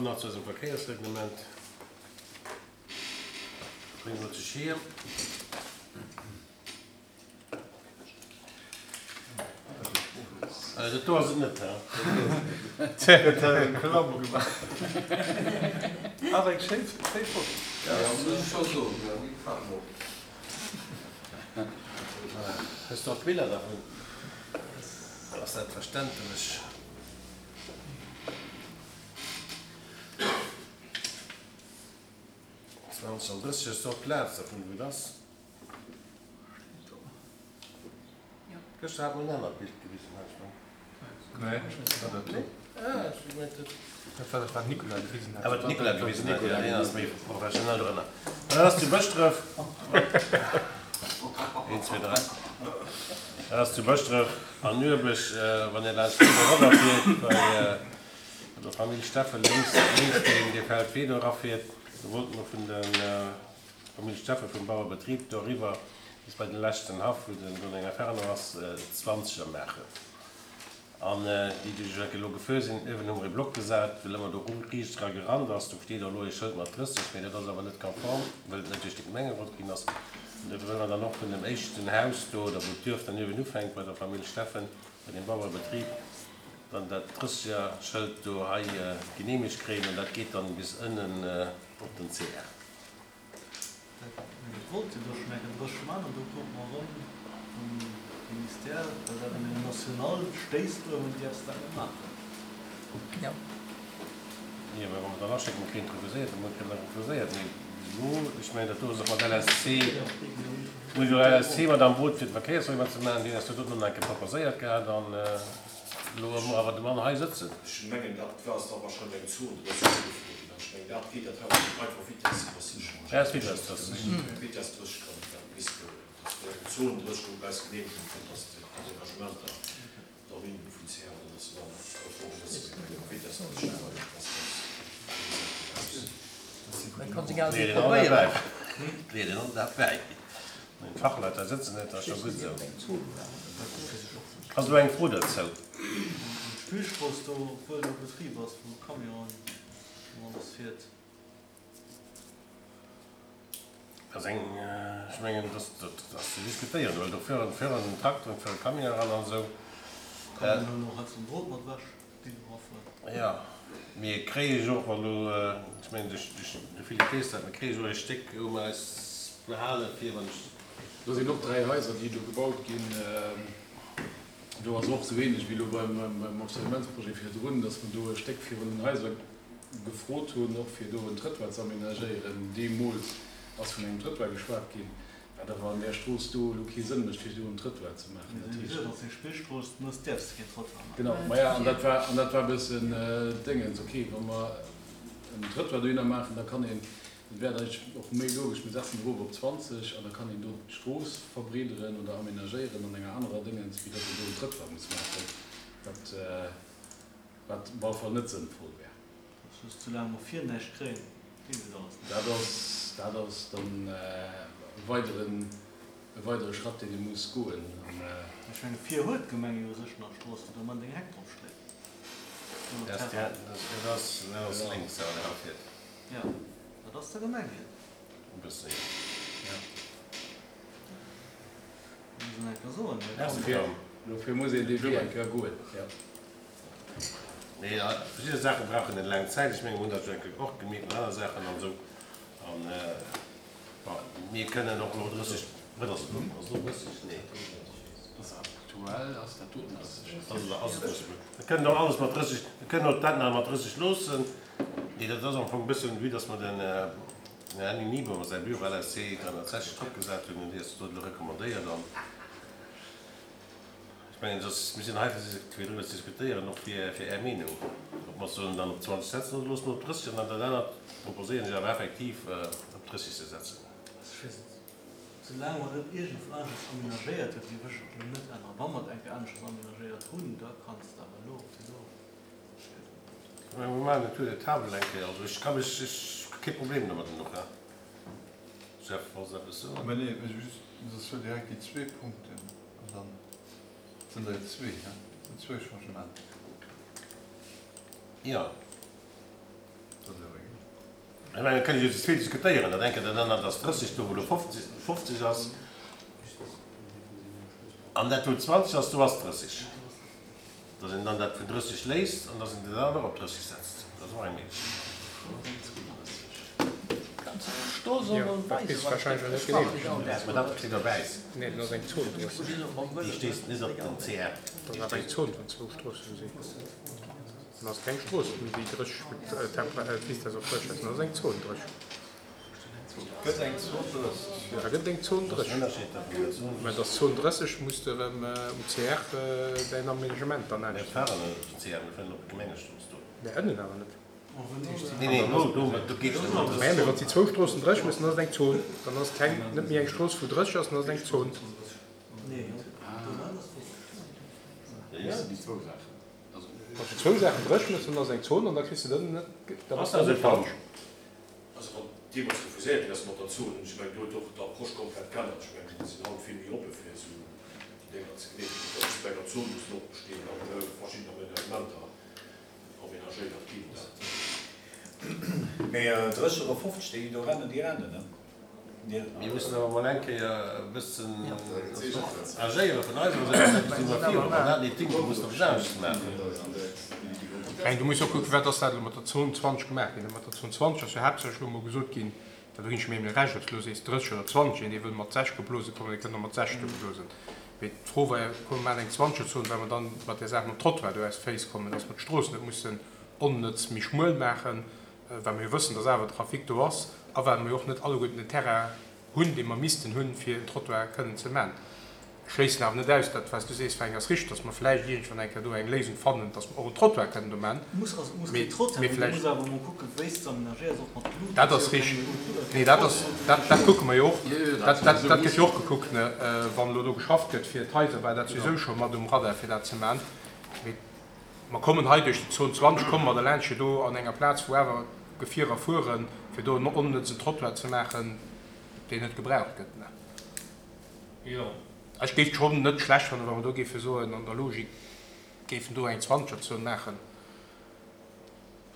Nach zu eisem Verkéiersreglement. Brénge mer sech hier. Dat do ass et net, he? Huet hei eng Klamm gemaach. Awer eng schéin Foto. Jo, muss ech scho soen, jo, déi gefällt mer och. Hues de och Biller dervun? Dat ass selbstverständlech. 20 an 30 ass och d'Plaz dervun, wou et ass. Gëschter hat mer en anert Bild gewisen, hat ech meng. Nee, war dat do? Ah, ech hu gemengt, dat. Dat war dat, wat d'Nicolas gewisen hat. Ah, wat d'Nicolas gewisen hat, jo, deen ass méi professionell drënner. Dat ass zu Bëschdref. Een, zwee, dräi. Dat ass zu Bëschdref an Nuebech, wann Dir laanscht d'Rive eroffiert, bei der Famill Steffen lénks, lénks deen, dee Feldwee do erafiert. Do wollte mer vun der Famill Steffen vum Bauerebetrib do eriwwer bis bei den leschten Haff, wou den do eng Inferno ass, Zwanzeger maachen. An déi, déi ech elo gefuer sinn, uewen hu mer ee Block gesat, well ëmmer do riicht era gerannt ass. Do steet och elo ee Schëld mat 30, mee dat ass awer net konform, well et net duerch de Gemengerot ginn ass. An dofir wëlle mer dann och vun dem éischten Haus do, oder wou d'Duerf dann uewen ufänkt, bei der Famill Steffen, bei deem Bauerebetrib, dann dat Drësseger-Schëld do hei geneemegt kréien. An dat geet dann bis ënnen op den CR. Dat wollt jo do schonn eng Kéier 30 man an do krute mer erëm vum Ministère, well dat an engem National stéisst uewen, däerfs dat net maachen. Jo, mä wa mer dann aschécken, da kréien et refuséiert, da kréie mer refuséiert. Mee bis elo, ech mengen, dat do ass och mat LSC, muss jo LSC mat am Boot fir de Verkéiersreglement ze maachen, deen ass jo do nach eng Kéier proposéiert gehat an elo hu mer awer de Mann hei sëtzen. Ech mengen, dat war ass da wahrscheinlech eng Zone 30 ugefrot ginn. An ech mengen, dat geet, dat hat einfach Vitesse 30. Ja, ass Vitesse 30. Vitesse 30 kann dat misst goen. Dat wär eng Zone 30, wou eis Genehmegung kritt, dass d'Aménagementer da sinn vun CR, an dass se dann konform sëtzen, mee eng Vitesse 30 awer, dat ass ganz, Dat kann seng Aarbecht probéieren. Leet een all dat bäi. Wann een d'Fachleit hei sëtzen huet, ass scho gutt esou. Ass elo eng Fro dozou? D'Spillstrooss do, obwuel do Betrib ass, wou Camionen an alles fiert. Dat ass eng, ech mengen, dat ass ze diskutéieren, well do fueren, fueren Trakteren, fuere Camionen eran an esou. Camionen huelen och heiansdo den Drot mat ewech, déi do erafueren. Jo, mir kréie jo och elo, ech mengen, de Philippe weess dat, mir kréie jo e Stéck, wou mer eis behale fir, wann ech. Do sinn och 3 Haiser, déi do gebaut ginn. Do ass och esou ähnlech wéi elo beim Observementsprojet virdrun, dass mer do e Stéck virun den Haiser gefrot hunn, och fir do en Trëttoir ze aménagéieren. Deemools ass vun engem Trëttoir geschwat ginn, wat awer an där Strooss do elo kee Sënn mécht, fir do en Trëttoir ze maachen. Dat heescht. Ass eng Spillstrooss, du däerfs keen Trëttoir maachen. Genau, maja, an dat war, an dat war e bëssen Déngens. Okay, wa mer en Trëttoir dohinner maachen, da kann een, Et wär eigentlech och méi logesch, mir setzen erof op 20 an da kann een do d'Strooss verbreederen oder aménagéieren an enger anerer Déngens, wéi datt een do en Trëttoir muss maachen, wat, wat op alle Fall net sënnvoll wär. Dat ass just, soulaang mer vir näischt kréien, geet et alles net. Dat ass, dat ass dann e weideren, e weidere Schratt, deen ee muss goen. An. Ech menge vir huet d'Gemeng jo u sech nach Strooss, wou de Moment eng Heck drop steet. Dat ass lénks, wann een erafiert. Jo, dat ass der Gemeng hir. E bësse, jo. Muss een eng Kéier soen, hei komm. Dofir muss een dee Wee eng Kéier goen, jo. Mee verschidde Saache brauchen eng laang Zäit. Ech menge mir hunn dat jo eng Kéier och gemierkt mat aner Saachen an esou. An, bon, mir kënnen och elo 30, wat ass et elo? Ass et elo 30? Nee. Aktuell ass dat doten 30. Ass et 30? Mir kënnen och alles mat 30, mir kënnen och dat nach mat 30 loossen. Nee, dat ass am Fong e bëssen, vue dass mer den Här Henning Niebuhr säi Büro LSC 360 drop gesat hunn, hunn déi eis dat elo recommandéiert. An ech mengen, dass mir sinn hei fir driwwer ze diskutéieren, och fir fir Är Meenung, ob mer sollen dann op 20 setzen oder loosse mer op 30. An dann dat anert proposéieren ech awer effektiv op 30 ze setzen. Ech weess net, soulaang mer net iergendwou aneschters amenagéiert hunn, géif ech et elo net änneren. Wa mer et eng Kéier aneschters amenagéiert hunn, da kanns de awer elo fir elo. Mir maachen en Tour de table eng Kéier. Also ech ka mech, ech hu kee Problem domat elo, he Jeff, wolls de eppes soen? Mä nee, ech just, soss huel direkt déi zwee Punkten an dann sinn der jo zwee, he? Sinn zwou Changementer. Jo. Ech mengen, et kënne jo zu vill diskutéieren, dat enke, dat anert ass 30, do wou elo 50 ass, an dat wou 20 ass, do ass 30. Datt een dann dat vun 30 léisst an datt een dat anert och op 30 setzt, dat ass och eng Méiglechkeet. Jo, dat kriss de wahrscheinlech och net geneemegt. Mä dat steet op wäiss. Nee, dann ass eng Zon 30. Déi steet net op den CR. Dann ass eng Zon vun zwou Stroossen sinn. Dann ass keng Strooss méi déi 30 d'Vitesse op 30 ass, dann ass eng Zon 30. Gëtt eng Zon 30, jo. Da gëtt eng Zon 30. Mä dass Zon 30 muss de erëm um CR däin Aménagement dann änneren. Mir fahren net op den CR, mir fueren op d'Gemengestrooss do. Mä ënnen awer net. Nee, nee, do, do, do geet et net. Mä wann s de zwou Stroossen 30 méchs, dann ass et eng Zon. Dann ass et keng, net méi eng Strooss wou 30 ass, dann ass et eng Zon. Déi zwou Saachen. Wann s de zwou Saachen 30 méchs, dann ass et eng Zon an da kriss de et ënnen net, dann ass dat net falsch. Also wann deemools refuséiert ginn ass mat der Zon, ech mengen do huet och d'Approche komplett geännert. Ech mengen déi sinn haut vill méi oppe fir esou déi Dénger ze geneemegen, datt just bei enger Zon mussen och bestinn an verschidden Amenagementer amenagéiert ginn. Dat. Mee 30 oder 50, déi déi do rennen, déi rennen, ne? Mir mussen awer emol eng Kéier e bëssen agéiere vun eiser Säit, dat si mer virun. Wann dat net dingt, da mussen mer eppes anesches maachen. Mä du muss och kucken, wat ass dat elo mat der Zon 20 gemaach ginn. Mat der Zon 20 ass jo haaptsächlech elo emol gesot ginn, dat do ginn ech mir emol Recht, ob s de elo sees 30 oder 20, een dee wëll mat 60 geblose kommen, dee kënnt och mat 60 do geblosen. Mee d'Fro war jo, komm mir maachen eng Zwanzegerzon, well mer dann mat där Saach mam Trottoir do aus de Féiss kommen, dass mer d'Strooss net mussen onnëtz méi schmuel maachen, well mer jo wëssen, dass awer Trafic do ass a well mer jo och net alleguerten den Terrain hunn, dee mer missten hunn, fir en Trottoir kënnen ze man. Ech schléissen awer net aus, dat wat s du sees, Fränk, ass richteg, dass mer vläicht iergendwann eng Kéier do eng Léisung fannen, dass mer och en Trottoir kënnen do man. Mee vläicht. Dat ass richteg. Nee, dat ass, dat, dat kucke mer jo och. Dat, dat, dat gëtt jo och gekuckt, ne, wann elo do geschafft gëtt fir d'Haiser, war dat souwisou scho mat um Radar, fir dat ze man. Mee Mer kommen hei duerch déi Zon 20, komme mer derlaanscht, fir do an enger Plaz, wou awer Gefierer fueren, fir do en onnëtzen Trottoir ze maachen, deen net gebraucht gëtt. Ech géif et schonn net schlecht fannen, wa mer do géife soen, an der Logik géifen do eng Zwanzegerzon maachen.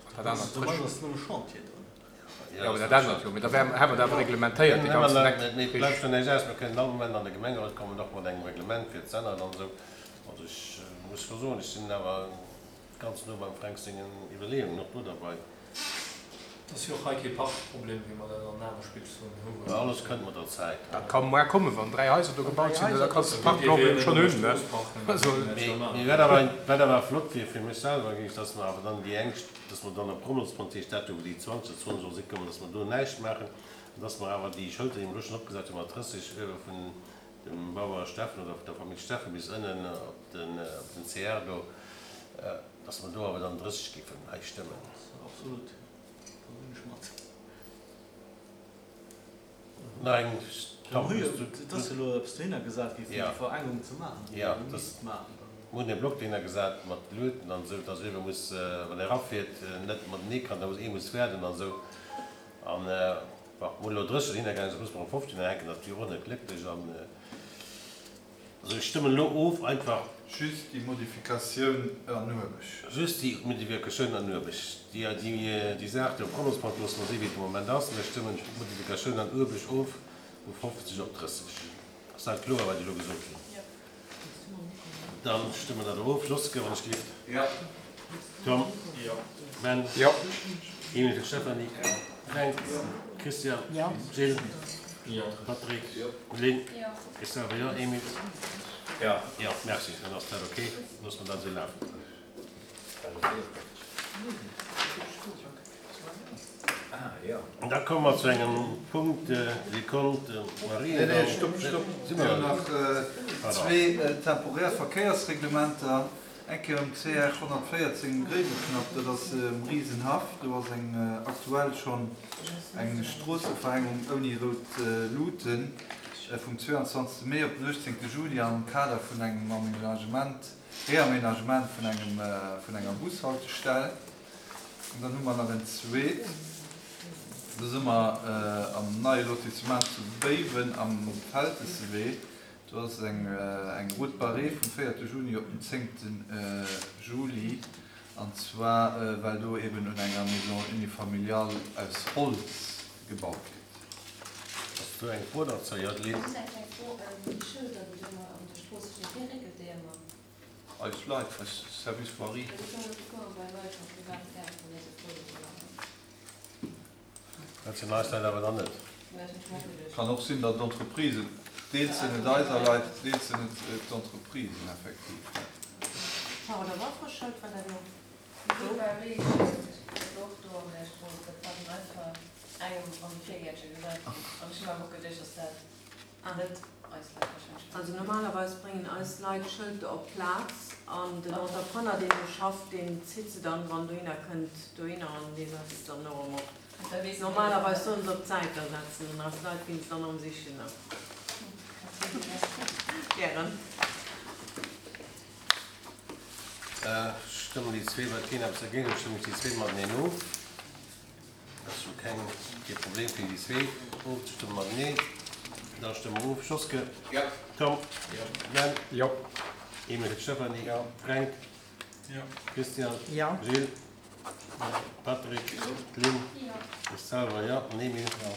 An dat anert frësch. Jo, mee dat anert jo. Mee da wär, hätt mer dat awer reglementéiert, dee ganzen Eck. Mee et bleift jo näischt aus, mer kënnen all Moment an de Gemengerot kommen, och mat engem Reglement fir et ze änneren an esou. Also ech muss scho soen, ech sinn awer ganz no beim Fränk sengen Iwwerleeungen och do derbei. Et ass jo och hei kee Parkproblem, wéi mer dat an aner Spillzonen hunn. Mä alles kënnt mat der Zäit. Dat ka muar kommen, wann 3 Haiser do gebaut sinn, da kanns de Parkproblem schonn hunn, ne? Also. Mee wat awer, wat awer flott wier fir mech selwer, géing ech, dass mer awer dann déi eng, dass mer dann op Rommelspont heescht dat do, wou déi 20 oder 20 soll si kommen, dass mer do näischt maachen an dass mer awer déi Schëlter, déi mer elo schonn opgesat hunn, mat 30 uewe vun dem Bauer Steffen oder der Famill Steffen bis ënnen op den CR do, dass mer do awer dann 30 géifen hei stëmmen. Absolut, do sinn ech mat. Nach eng Tom, hues du. Et ass jo elo eppes dohinner gesat gi fir déi Verengung ze maachen. Jo, mir hunn e Block dohinner gesat mat Luuten an esou, dass uewe muss, wann ee erafiert, net matenee kann, da muss ee muss waarden an esou. An Bon, mir hunn elo 30 dohinner gaangen, soss musse mer erëm 15 hänken, dat wier och net glécklech. An also ech stëmmen elo of einfach. Just déi Modifikatioun an Uerbech. Just déi Modifikatioun an Uerbech. Déi, déi Saach do Promosbank loosse mer si wéi et de Moment ass. Mir stëmmen d'Modifikatioun an Uerbech of vu 50 op 30. Ass dat kloer, wat ech elo gesot hunn? Dann stëmme mer dat of. Joske, wann ech gelift. Jo. Tom. Jo. Ben. Jo. Emil, Stéphanie. Fränk. Christian. Jo. Gilles. Jo. Patrick. Jo. Lynn. Jo. Ech selwer jo. Emil. Jo. Jo, merci. Dann ass dat ok. Loosse mer dat esou lafen. Da komme mer zu engem Punkt, Sekonn, Mariendall. Nee, nee, stopp, stopp. Mir hunn nach zwee temporär Verkéiersreglementer. Eng Kéier um CR 114 um Gréiweknapp, dat ass um Riesenhaff. Do ass eng aktuell schonn eng Stroosseverengung ouni rout Luuten vum 22 Mee op den 18 Juli am Kader vun engem Aménagement, Reaménagement vun engem, vun enger Bushaltestell. An dann hu mer nach en zweet, do si mer am neie Lotissement zu Béiwen am Feltessewee. Do ass eng eng Route barrée vum véierte Juni op den zéngte Juli. An zwar well do eben un enger Maison unifamiliale aus Holz gebaut gëtt. Ass do eng Fro derzou? Jo, d'Lynn. Just eng kleng Fro, Déi Schëlder, déi do ëmmer an der Strooss stinn, wee réckelt déi ëmmer? Eis Leit, eis Service Voirie. Well ech hunn elo puer mol bei Leit am private Gaart gesinn, esou Froen do maachen. Dat sinn eis Leit awer dann net. Nee, dat hunn ech mer och geduecht. Kann och sinn, datt d'Entreprisen, deels sinn et eiser Leit, deels sinn et d'Entreprisen effektiv. War oder war verschëlt, war dat elo? Do war wéi ee Schëld, dat war och do an där Strooss, dat war dann einfach engem an de Virgäertche gesat ginn. An ech hu mer awer och geduecht, datt dat net eis Leit warscheinlech waren. Also normalerweis bréngen eis Leit d'Schëlter op d'Plaz an den Entrepreneur, deen do schafft, deen zitt se dann, wann dohinner kënnt, dohinner an dee setzt se dann och erëm op. Normalerweis sollen se op d'Säit da setzen an eis Leit ginn se dann erëm sichen. Gären. Stëmmen déi zwee, well keen eppes dergéint huet, stëmmen ech déi zwee mateneen of. Dat ass jo keng, kee Problem fir déi zwee ofzestëmmen mateneen. Da stëmme mer of. Joske? Jo. Tom? Jo. Glenn? Jo. Emil fir d'Stéphanie? Jo. Fränk? Jo. Christian? Jo. Gilles? Patrick? Lynn? Ech selwer jo. An Emil? Jo.